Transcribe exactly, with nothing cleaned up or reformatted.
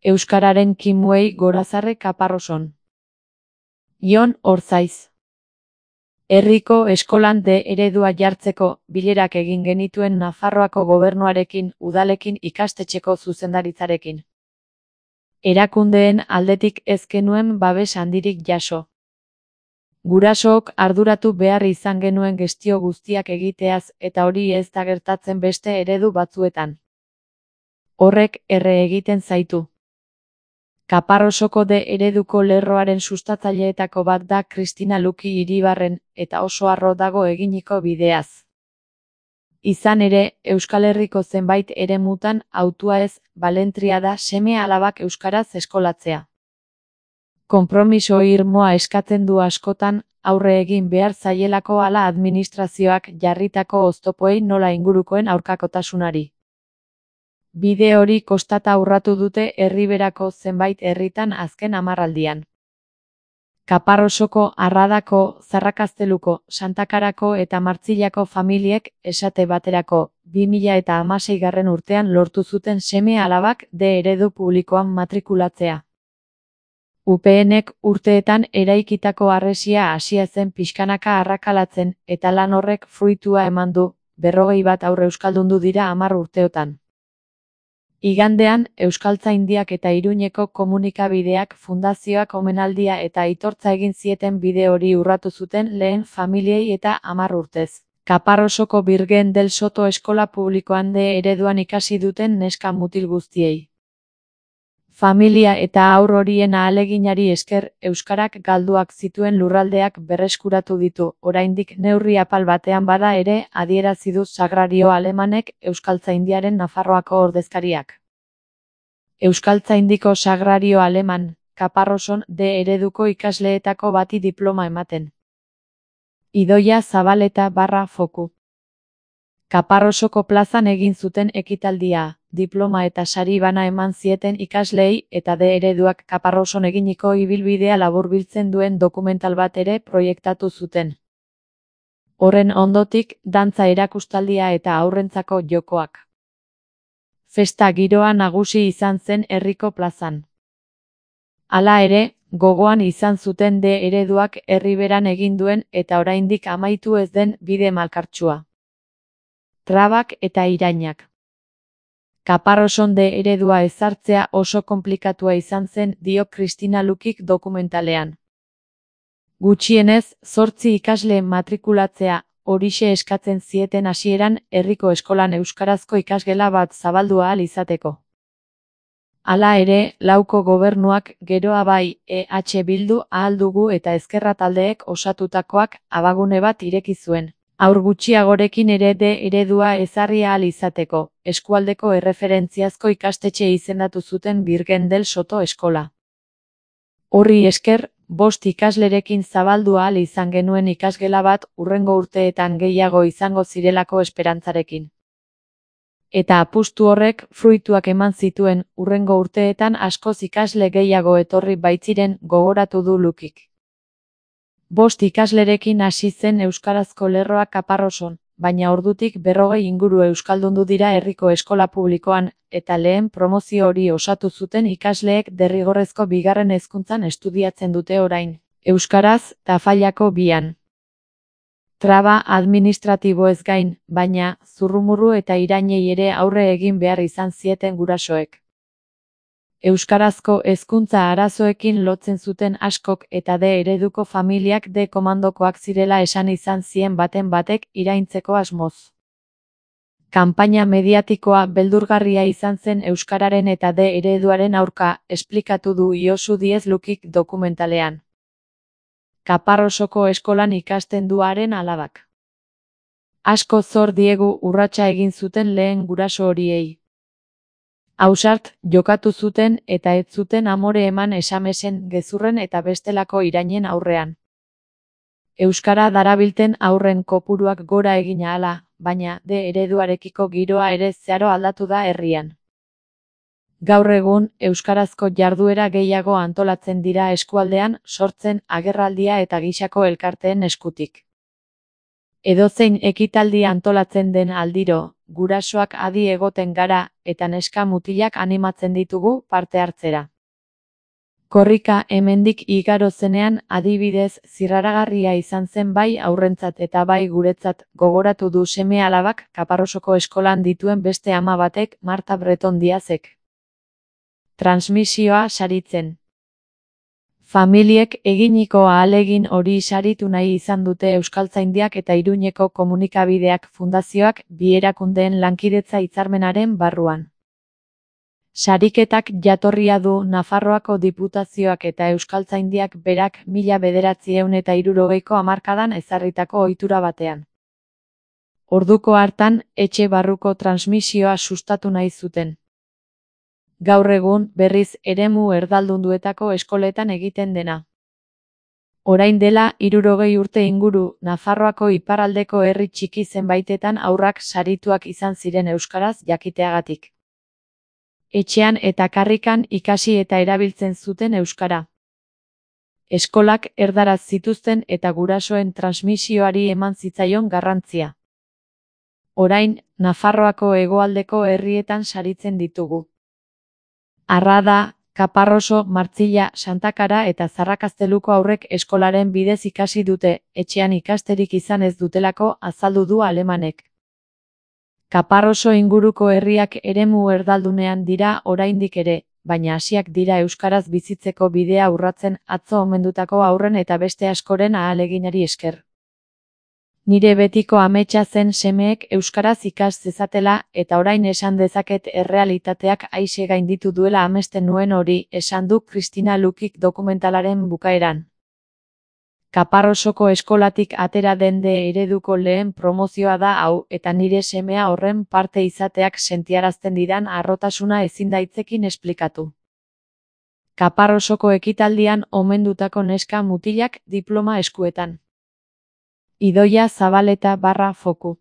Euskararen kimuei gorazarre Kaparroson. Jon Orzaiz. Herriko eskolan D eredua jartzeko bilerak egin genituen Nafarroako gobernuarekin, udalekin, ikastetxeko zuzendaritzarekin. Erakundeen aldetik ez genuen babes handirik jaso. Gurasook arduratu behar izan genuen gestio guztiak egiteaz eta hori ez da gertatzen beste eredu batzuetan. Horrek erre egiten zaitu. Kaparrosoko D ereduko lerroaren sustatzaileetako bat da Kristina Luki Iribarren eta oso harro dago eginiko bideaz. Izan ere, Euskal Herriko zenbait eremutan hautua ez balentria da seme-alabak euskaraz eskolatzea. Konpromiso irmoa eskatzen du askotan, aurre egin behar zaielako hala administrazioak jarritako oztopoei nola ingurukoen aurkakotasunari. Bide hori kostata urratu dute Erriberako zenbait herritan azken hamarraldian. Kaparrosoko, Arradako, Zarrakazteluko, Santakarako eta Martzillako familiek esate baterako bi mila eta hamaseigarren urtean lortu zuten seme-alabak D eredu publikoan matrikulatzea. U P Nek urteetan eraikitako harresia hasia zen pixkanaka arrakalatzen eta lan horrek fruitua eman du, berrogei bat haur euskaldundu dira hamar urteotan. Igandean, Euskaltzaindiak eta Iruñeko komunikabideak fundazioak omenaldia eta aitortza egin zieten bide hori urratu zuten lehen familiei eta hamar urtez. Kaparrosoko Birgen del Soto eskola publikoan D ereduan ikasi duten neska mutil guztiei. Familia eta haur horien ahaleginari esker, euskarak galduak zituen lurraldeak berreskuratu ditu, oraindik neurri apal batean bada ere, adierazi du Sagrario Alemanek Euskaltzaindiaren Nafarroako ordezkariak. Euskaltzaindiko Sagrario Aleman, Kaparroson D ereduko ikasleetako bati diploma ematen. Idoia Zabaleta barra foku. Kaparrosoko plazan egin zuten ekitaldia, diploma eta sari bana eman zieten ikasleei eta D ereduak Kaparroson eginiko ibilbidea laburbiltzen duen dokumental bat ere proiektatu zuten. Horren ondotik, dantza erakustaldia eta haurrentzako jokoak. Festa giroa nagusi izan zen herriko plazan. Hala ere, gogoan izan zuten D ereduak Erriberan egin duen eta oraindik amaitu ez den bide malkartsua. Trabak eta irainak. Kaparroson D eredua ezartzea oso konplikatua izan zen, dio Kristina Lukik dokumentalean. Gutxienez, zortzi ikasle matrikulatzea, horixe eskatzen zieten hasieran herriko eskolan euskarazko ikasgela bat zabaldu ahal izateko. Hala ere, lauko gobernuak geroa bai E H Bildu ahal dugu eta ezkerra taldeek osatutakoak abagune bat ireki zuen. Haur gutxiagorekin ere D eredua ezarri ahal izateko, eskualdeko erreferentziazko ikastetxe izendatu zuten Birgen del Soto eskola. Horri esker, bost ikaslerekin zabaldu ahal izan genuen ikasgela bat hurrengo urteetan gehiago izango zirelako esperantzarekin. Eta apustu horrek fruituak eman zituen, hurrengo urteetan askoz ikasle gehiago etorri baitziren, gogoratu du Lukik. Bost ikaslerekin hasi zen euskarazko lerroa Kaparroson, baina ordutik berrogei inguru euskaldundu dira herriko eskola publikoan, eta lehen promozio hori osatu zuten ikasleek derrigorrezko bigarren hezkuntzan estudiatzen dute orain, euskaraz, Tafallako bian. Traba administratiboez gain, baina, zurrumurru eta irainei ere aurre egin behar izan zieten gurasoek. Euskarazko hezkuntza arazoekin lotzen zuten askok eta D ereduko familiak D komandokoak zirela esan izan zien baten batek iraintzeko asmoz. Kanpaina mediatikoa beldurgarria izan zen euskararen eta D ereduaren aurka, esplikatu du Josu Diez Lukik dokumentalean. Kaparrosoko eskolan ikasten du haren alabak. Asko zor diegu urratsa egin zuten lehen guraso horiei. Ausart, jokatu zuten eta ez zuten amore eman esamesen, gezurren eta bestelako irainen aurrean. Euskara darabilten aurren kopuruak gora egin ahala, baina D ereduarekiko giroa ere zeharo aldatu da herrian. Gaur egun, euskarazko jarduera gehiago antolatzen dira eskualdean, sortzen, agerraldia eta gisako elkarteen eskutik. Edozein ekitaldi antolatzen den aldiro, gurasoak adi egoten gara, eta neska mutilak animatzen ditugu parte hartzera. Korrika hemendik igaro zenean adibidez zirraragarria izan zen bai aurrentzat eta bai guretzat, gogoratu du seme-alabak Kaparrosoko eskolan dituen beste ama batek, Marta Breton Diazek. Transmisioa saritzen. Familiek eginiko ahalegin hori saritu nahi izan dute Euskaltzaindiak eta Iruñeko komunikabideak fundazioak bi erakundeen lankidetza hitzarmenaren barruan. Sariketak jatorria du Nafarroako Diputazioak eta Euskaltzaindiak berak mila bederatziehun eta hirurogeiko hamarkadan ezarritako ohitura batean. Orduko hartan, etxe barruko transmisioa sustatu nahi zuten. Gaur egun, berriz, eremu erdaldunduetako eskoletan egiten dena. Orain dela, hirurogei urte inguru, Nafarroako iparraldeko herri txiki zenbaitetan haurrak sarituak izan ziren euskaraz jakiteagatik. Etxean eta karrikan ikasi eta erabiltzen zuten euskara. Eskolak erdaraz zituzten eta gurasoen transmisioari eman zitzaion garrantzia. Orain, Nafarroako hegoaldeko herrietan saritzen ditugu. Arrada, Kaparroso, Martzilla, Santakara eta Zarrakazteluko haurrek eskolaren bidez ikasi dute, etxean ikasterik izan ez dutelako azaldu du alemanek. Kaparroso inguruko herriak eremu erdaldunean dira oraindik ere, baina hasiak dira euskaraz bizitzeko bidea urratzen atzo omendutako haurren eta beste askoren ahaleginari esker. Nire betiko ametsa zen semeek euskaraz ikas zezatela eta orain esan dezaket errealitateak aise gainditu duela amesten nuen hori, esan du Kristina Lukik dokumentalaren bukaeran. Kaparrosoko eskolatik atera den de ereduko lehen promozioa da hau eta nire semea horren parte izateak sentiarazten didan harrotasuna ezin daitzekin esplikatu. Kaparrosoko ekitaldian omendutako neska mutilak diploma eskuetan. Idoia Zabaleta barra foku.